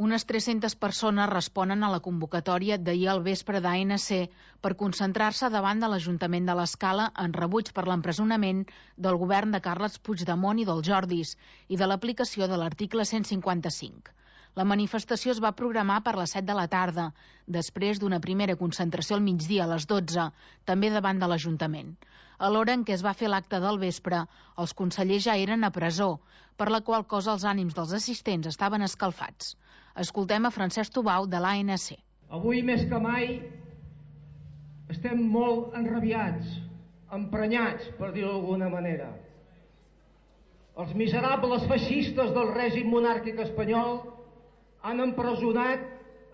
Unes 300 persones responen a la convocatòria d'ahir al vespre d'ANC per concentrar-se davant de l'Ajuntament de l'Escala en rebuig per l'empresonament del govern de Carles Puigdemont i dels Jordis i de l'aplicació de l'article 155. La manifestació es va programar per les 7 de la tarda, després d'una primera concentració al migdia a les 12, també davant de l'Ajuntament. A l'hora en què es va fer l'acte del vespre, els consellers ja eren a presó, per la qual cosa els ànims dels assistents estaven escalfats. Escoltem a Francesc Tubau, de l'ANC. Avui més que mai estem molt enrabiats, emprenyats, per dir-ho d'alguna manera. Els miserables feixistes del règim monàrquic espanyol han empresonat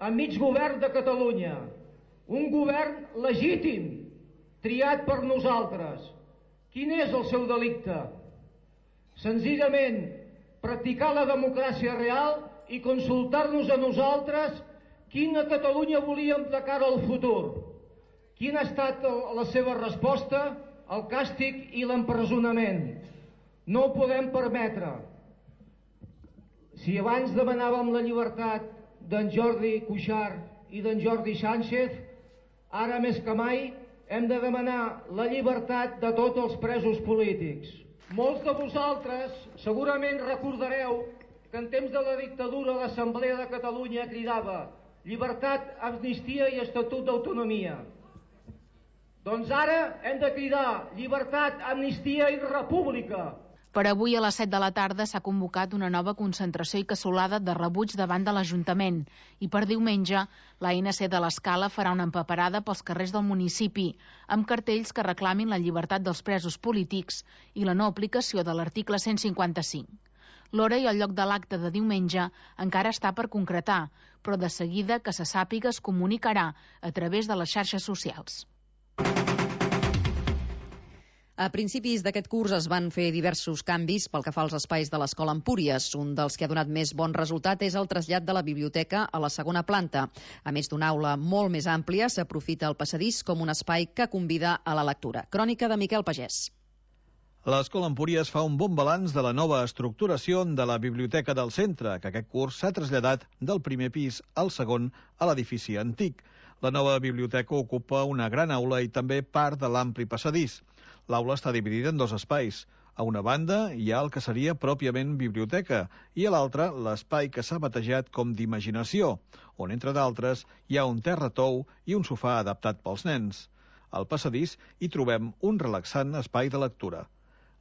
a mig govern de Catalunya, un govern legítim, triat per nosaltres. Quin és el seu delicte? Senzillament practicar la democràcia real i consultar-nos a nosaltres quina Catalunya volíem de cara al futur. Quina ha estat la seva resposta? El càstig i l'empresonament. No ho podem permetre. Si abans demanàvem la llibertat d'en Jordi Cuixart i d'en Jordi Sánchez, ara més que mai hem de demanar la llibertat de tots els presos polítics. Molts de vosaltres segurament recordareu que en temps de la dictadura l'Assemblea de Catalunya cridava llibertat, amnistia i estatut d'autonomia. Doncs ara hem de cridar llibertat, amnistia i república. Per avui a les 7 de la tarda s'ha convocat una nova concentració i cassolada de rebuig davant de l'Ajuntament i per diumenge l'ANC de l'Escala farà una empaperada pels carrers del municipi amb cartells que reclamin la llibertat dels presos polítics i la no aplicació de l'article 155. L'hora i el lloc de l'acte de diumenge encara està per concretar, però de seguida que se sàpiga es comunicarà a través de les xarxes socials. A principis d'aquest curs es van fer diversos canvis pel que fa als espais de l'Escola Empúries. Un dels que ha donat més bon resultat és el trasllat de la biblioteca a la segona planta. A més d'una aula molt més àmplia, s'aprofita el passadís com un espai que convida a la lectura. Crònica de Miquel Pagès. L'Escola Empúries fa un bon balanç de la nova estructuració de la biblioteca del centre, que aquest curs s'ha traslladat del primer pis al segon a l'edifici antic. La nova biblioteca ocupa una gran aula i també part de l'ampli passadís. L'aula està dividida en dos espais. A una banda hi ha el que seria pròpiament biblioteca i a l'altra l'espai que s'ha batejat com d'imaginació, on, entre d'altres, hi ha un terratou i un sofà adaptat pels nens. Al passadís hi trobem un relaxant espai de lectura.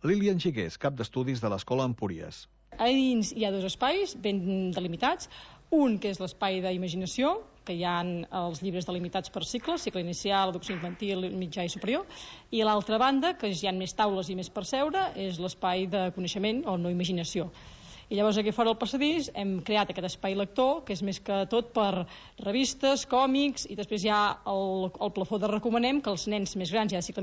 Lilian Xigués, cap d'estudis de l'Escola Empúries. A dins hi ha dos espais ben delimitats, un que és l'espai d'imaginació, que hi ha els llibres delimitats per cicles, cicle inicial, educació infantil, mitjà i superior, i a l'altra banda, que hi ha més taules i més per seure, és l'espai de coneixement o no imaginació. I llavors aquí fora al passadís hem creat aquest espai lector, que és més que tot per revistes, còmics, i després hi ha el plafó de recomanem, que els nens més grans, ja de cicle